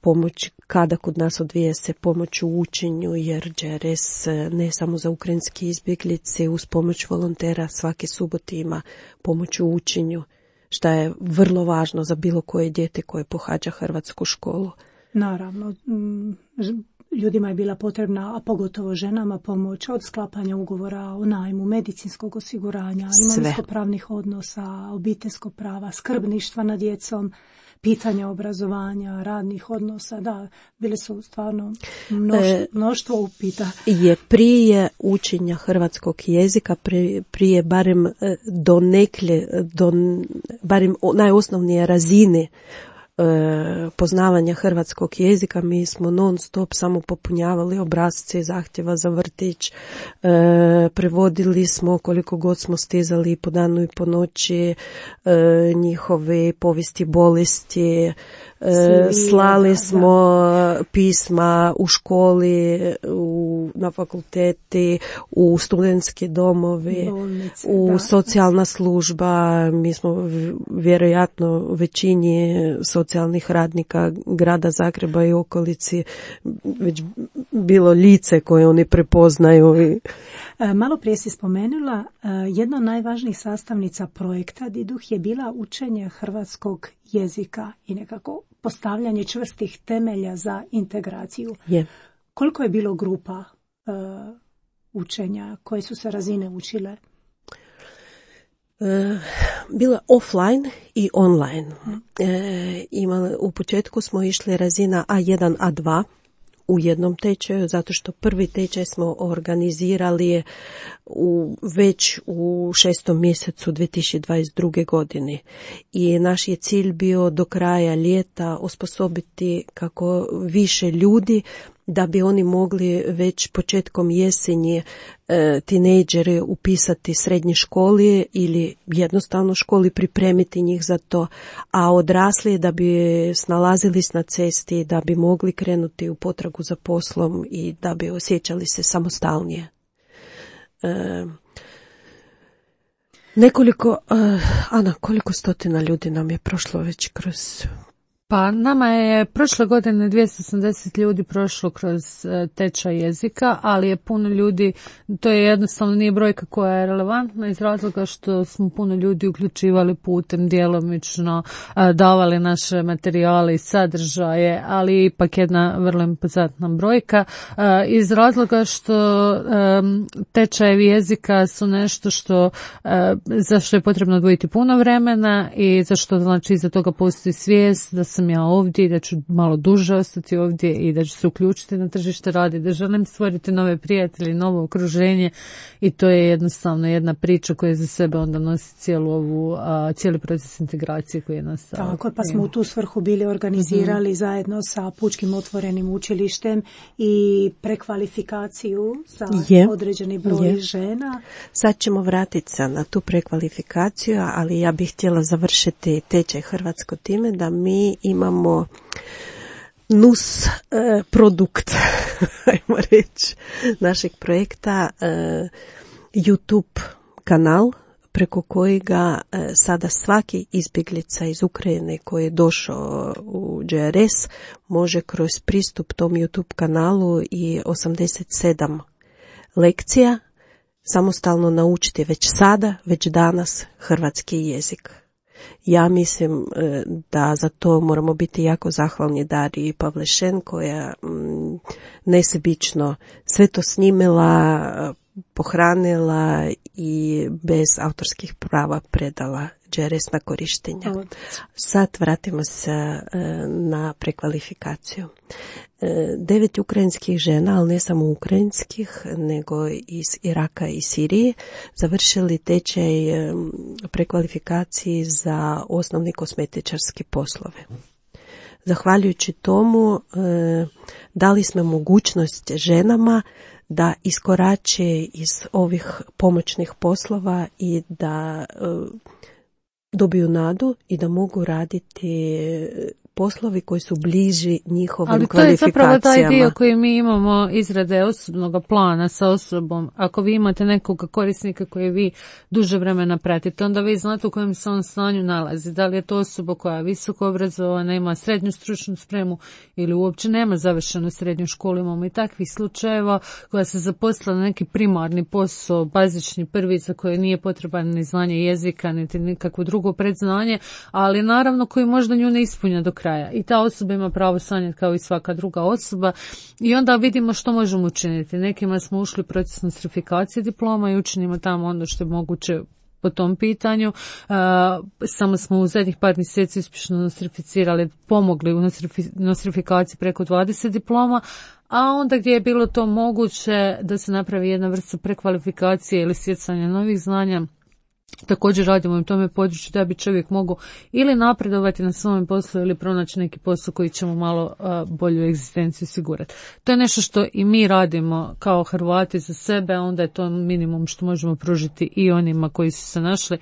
pomoć kada kod nas odvija se pomoć u učenju, jer J R S ne samo za ukrajinske izbjeglice, uz pomoć volontera svake subote ima pomoć u učenju, što je vrlo važno za bilo koje dijete koje pohađa hrvatsku školu. Naravno, ljudima je bila potrebna, a pogotovo ženama, pomoć od sklapanja ugovora o najmu, medicinskog osiguranja, imovinsko-pravnih odnosa, obiteljskog prava, skrbništva nad djecom, pitanja obrazovanja, radnih odnosa. Da, bile su stvarno mnoštvo, mnoštvo upita. Je prije učenja hrvatskog jezika, prije, prije barem do nekle, do barem najosnovnije razine poznavanja hrvatskog jezika. Mi smo non stop samo popunjavali obrasce zahtjeva za vrtić, prevodili smo koliko god smo stizali po danu i po noći njihove povijesti bolesti, slali smo pisma u školi, u, na fakulteti, u studentske domove, bolnice, u da. Socijalna služba. Mi smo vjerojatno većini socijalnih radnika grada Zagreba i okolici već bilo lice koje oni prepoznaju. Malo prije si spomenula, jedna od najvažnijih sastavnica projekta Diduh je bila učenje hrvatskog jezika i nekako postavljanje čvrstih temelja za integraciju. Je. Koliko je bilo grupa uh, učenja, koje su se razine učile? Uh, bila offline i online. Hmm. Uh, imali, u početku smo išli razina A jedan, A dva u jednom tečaju, zato što prvi tečaj smo organizirali u, već u šestom mjesecu dvije tisuće dvadeset druge. godine. I naš je cilj bio do kraja ljeta osposobiti kako više ljudi da bi oni mogli već početkom jesenje e, tinejdžere upisati srednje školi ili jednostavno školi, pripremiti njih za to, a odrasli da bi snalazili se na cesti, da bi mogli krenuti u potragu za poslom i da bi osjećali se samostalnije. E, nekoliko, e, Ana, koliko stotina ljudi nam je prošlo već kroz... Pa nama je prošle godine dvjesto osamdeset ljudi prošlo kroz tečaj jezika, ali je puno ljudi, to je jednostavno nije brojka koja je relevantna iz razloga što smo puno ljudi uključivali putem djelomično, davali naše materijale i sadržaje, ali ipak jedna vrlo impozantna brojka iz razloga što tečajevi jezika su nešto što za što je potrebno odvojiti puno vremena i za što znači iza toga postoji svijest da sam ja ovdje i da ću malo duže ostati ovdje i da ću se uključiti na tržište rada, da želim stvoriti nove prijatelje, novo okruženje i to je jednostavno jedna priča koja za sebe onda nosi cijelu ovu, a, cijeli proces integracije koji je nastao. Tako, pa smo u tu svrhu bili organizirali mm-hmm. zajedno sa Pučkim otvorenim učilištem i prekvalifikaciju za je. određeni broj je. žena. Sad ćemo vratiti se na tu prekvalifikaciju, ali ja bih htjela završiti tečaj hrvatsko time da mi imamo nus e, produkt, ajmo reći, našeg projekta, e, YouTube kanal preko kojega e, sada svaki izbjeglica iz Ukrajine koji je došao u Đ R S može kroz pristup tom YouTube kanalu i osamdeset sedam lekcija samostalno naučiti već sada, već danas hrvatski jezik. Ja mislim da za to moramo biti jako zahvalni Dariji Pavlešen koja m, nesebično sve to snimila, pohranila i bez autorskih prava predala Đ R S na korištenje. Sad vratimo se e, na prekvalifikaciju. E, devet ukrajinskih žena, ali ne samo ukrajinskih, nego iz Iraka i Sirije, završili tečaj e, prekvalifikaciji za osnovni kozmetičarski poslove. Zahvaljujući tomu e, dali smo mogućnost ženama da iskorače iz ovih pomoćnih poslova i da e, dobiju nadu i da mogu raditi poslovi koji su bliži njihovim ali kvalifikacijama. Ali to je zapravo taj dio koji mi imamo izrade osobnog plana sa osobom. Ako vi imate nekog korisnika koji vi duže vremena pratite, onda vi znate u kojem se on stanju nalazi. Da li je to osoba koja je visoko obrazovana, ima srednju stručnu spremu ili uopće nema završenu srednju školu. Imamo i takvih slučajeva koja se zaposlila na neki primarni posao, bazični prvi za koje nije potreban ni znanje jezika, niti nikakvo drugo predznanje, ali naravno koji možda nju ne ispunja do kraja. I ta osoba ima pravo sanjati kao i svaka druga osoba i onda vidimo što možemo učiniti. Nekima smo ušli u proces nostrifikacije diploma i učinimo tamo ono što je moguće po tom pitanju. Uh, samo smo u zadnjih par mjeseci uspješno nostrificirali, pomogli u nostrifikaciji preko dvadeset diploma, a onda gdje je bilo to moguće da se napravi jedna vrsta prekvalifikacije ili stjecanja novih znanja, također radimo u tome području da bi čovjek mogao ili napredovati na svom poslu ili pronaći neki posao koji će mu malo uh, bolju egzistenciju osigurati. To je nešto što i mi radimo kao Hrvati za sebe, onda je to minimum što možemo pružiti i onima koji su se našli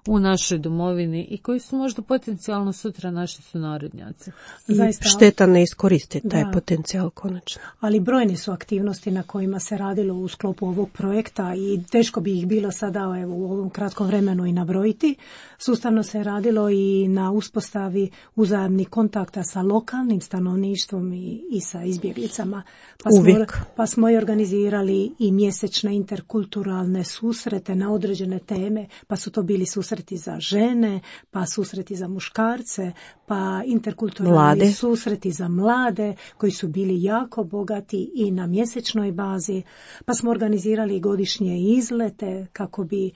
u našoj domovini i koji su možda potencijalno sutra naši sunarodnjaci. Zaista, šteta ne iskoristiti taj potencijal konačno. Ali brojne su aktivnosti na kojima se radilo u sklopu ovog projekta i teško bi ih bilo sada evo, u ovom kratkom vremenu i nabrojiti. Sustavno se radilo i na uspostavi uzajamnih kontakta sa lokalnim stanovništvom i, i sa izbjeglicama. Pa smo, Uvijek. pa smo i organizirali i mjesečne interkulturalne susrete na određene teme, pa su to bili susreti za žene, pa susreti za muškarce, pa interkulturalni mlade. susreti za mlade koji su bili jako bogati i na mjesečnoj bazi, pa smo organizirali godišnje izlete kako bi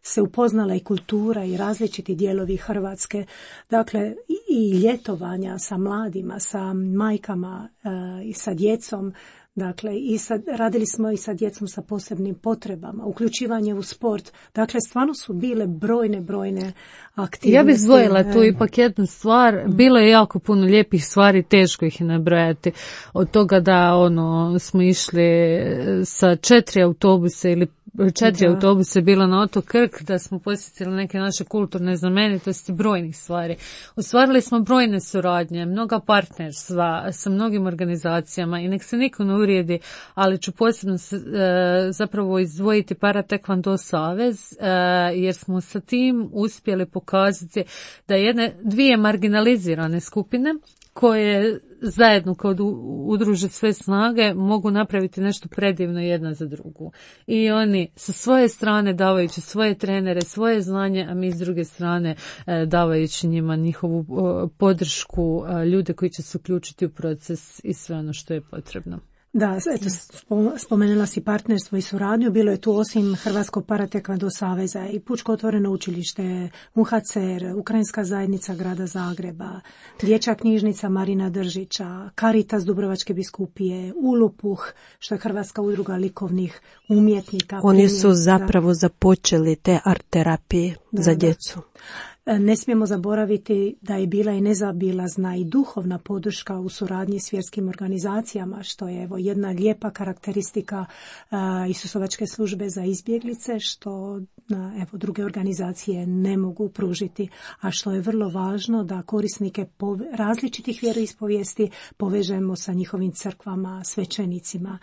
se upoznala i kultura i različiti dijelovi Hrvatske. Dakle, i ljetovanja sa mladima, sa majkama e, i sa djecom. Dakle, i sad, radili smo i sa djecom sa posebnim potrebama, uključivanje u sport. Dakle, stvarno su bile brojne, brojne aktivnosti. Ja bih zdvojila tu ipak jednu stvar. Bilo je jako puno lijepih stvari, teško ih je nabrojati. Od toga da ono smo išli sa četiri autobuse ili četiri da. autobuse bilo na otok Krk, da smo posjetili neke naše kulturne znamenitosti, brojnih stvari. Ostvarili smo brojne suradnje, mnoga partnerstva sa mnogim organizacijama i nek se niko ne uvrijedi, ali ću posebno se, e, zapravo izdvojiti Paratekvando savez, e, jer smo sa tim uspjeli pokazati da jedne dvije marginalizirane skupine koje zajedno kad udruže sve snage mogu napraviti nešto predivno jedna za drugu. I oni sa svoje strane davajući svoje trenere, svoje znanje, a mi s druge strane davajući njima njihovu podršku, ljude koji će se uključiti u proces i sve ono što je potrebno. Da, eto, spomenula si partnerstvo i suradnju. Bilo je tu osim Hrvatskog Paratekvando saveza i Pučko otvoreno učilište, U H C R, Ukrajinska zajednica grada Zagreba, Dječja knjižnica Marina Držića, Caritas Dubrovačke biskupije, Ulupuh, što je Hrvatska udruga likovnih umjetnika. Oni su zapravo započeli te art terapije da, za djecu. Ne smijemo zaboraviti da je bila i nezaobilazna i duhovna podrška u suradnji s vjerskim organizacijama, što je evo jedna lijepa karakteristika uh, Isusovačke službe za izbjeglice, što uh, evo druge organizacije ne mogu pružiti, a što je vrlo važno da korisnike pove- različitih vjeroispovijesti povežemo sa njihovim crkvama, svećenicima.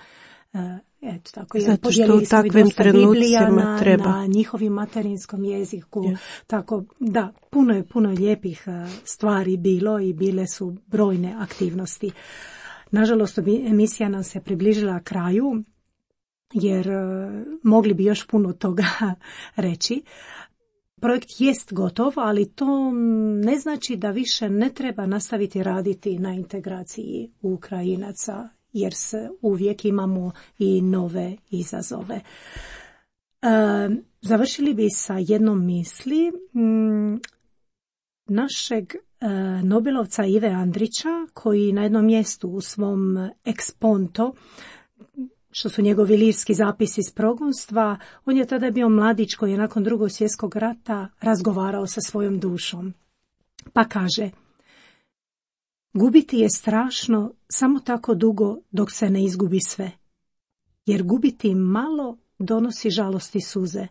Uh, Eto, tako, zato što u takvim trenucima treba. Na njihovim materinskom jeziku. Yeah. Tako, da, puno je, puno je lijepih stvari bilo i bile su brojne aktivnosti. Nažalost, emisija nam se približila kraju, jer mogli bi još puno toga reći. Projekt jest gotov, ali to ne znači da više ne treba nastaviti raditi na integraciji Ukrajinaca, jer se uvijek imamo i nove izazove. E, završili bi sa jednom misli m, našeg e, Nobelovca Ive Andrića, koji na jednom mjestu u svom Exponto, što su njegovi lirski zapisi iz progonstva, on je tada bio mladić koji je nakon Drugog svjetskog rata razgovarao sa svojom dušom. Pa kaže: gubiti je strašno samo tako dugo dok se ne izgubi sve, jer gubiti malo donosi žalosti suze.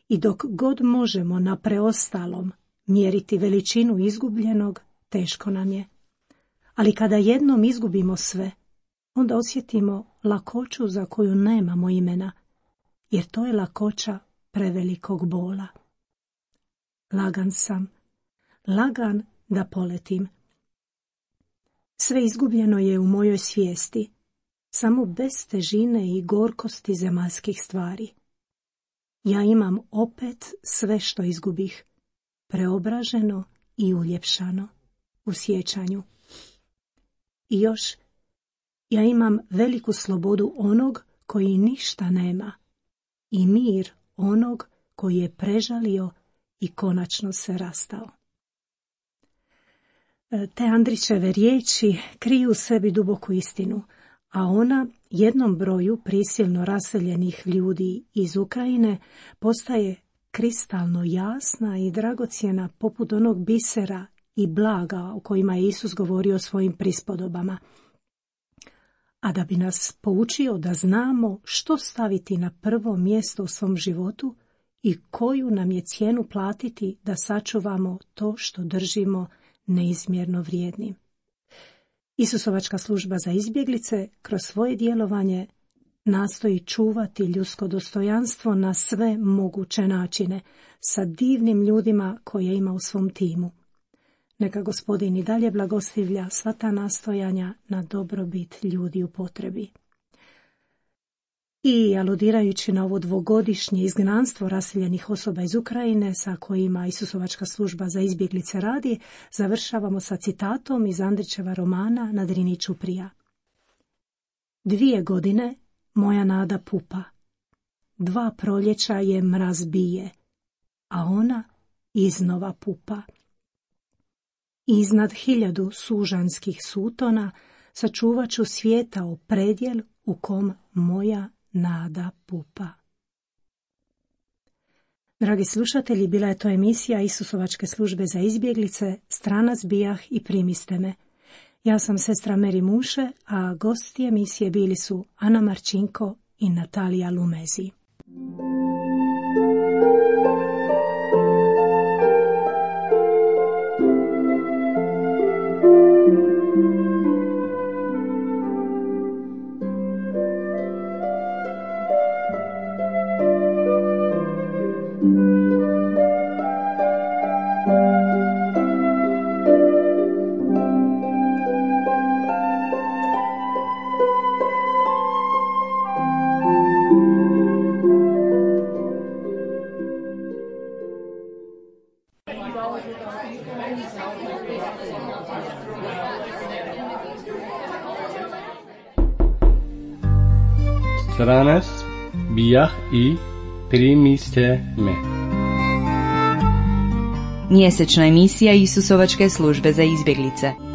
I dok god možemo na preostalom mjeriti veličinu izgubljenog, teško nam je. Ali kada jednom izgubimo sve, onda osjetimo lakoću za koju nemamo imena, jer to je lakoća prevelikog bola. Lagan sam, lagan da poletim. Sve izgubljeno je u mojoj svijesti, samo bez težine i gorkosti zemaljskih stvari. Ja imam opet sve što izgubih, preobraženo i uljepšano u sjećanju. I još, ja imam veliku slobodu onog koji ništa nema i mir onog koji je prežalio i konačno se rastao. Te Andrićeve riječi kriju u sebi duboku istinu, a ona jednom broju prisilno raseljenih ljudi iz Ukrajine postaje kristalno jasna i dragocjena poput onog bisera i blaga o kojima je Isus govorio o svojim prispodobama. A da bi nas poučio da znamo što staviti na prvo mjesto u svom životu i koju nam je cijenu platiti da sačuvamo to što držimo neizmjerno vrijednim. Isusovačka služba za izbjeglice kroz svoje djelovanje nastoji čuvati ljudsko dostojanstvo na sve moguće načine sa divnim ljudima koje ima u svom timu. Neka Gospodin i dalje blagoslivlja sva ta nastojanja na dobrobit ljudi u potrebi. I aludirajući na ovo dvogodišnje izgnanstvo raseljenih osoba iz Ukrajine sa kojima Isusovačka služba za izbjeglice radi, završavamo sa citatom iz Andrićeva romana Na Drini Ćuprija. Dvije godine moja nada pupa, dva proljeća je mraz bije, a ona iznova pupa. Iznad hiljadu sužanskih sutona sačuvat ću svijeta o predjel u kom moja nada pupa. Dragi slušatelji, bila je to emisija Isusovačke službe za izbjeglice, Stranac bijah i primiste me. Ja sam sestra Meri Muše, a gosti emisije bili su Ana Marčinko i Natalija Lumezi. Stranac bijah i primiste me. Mjesečna emisija Isusovačke službe za izbjeglice.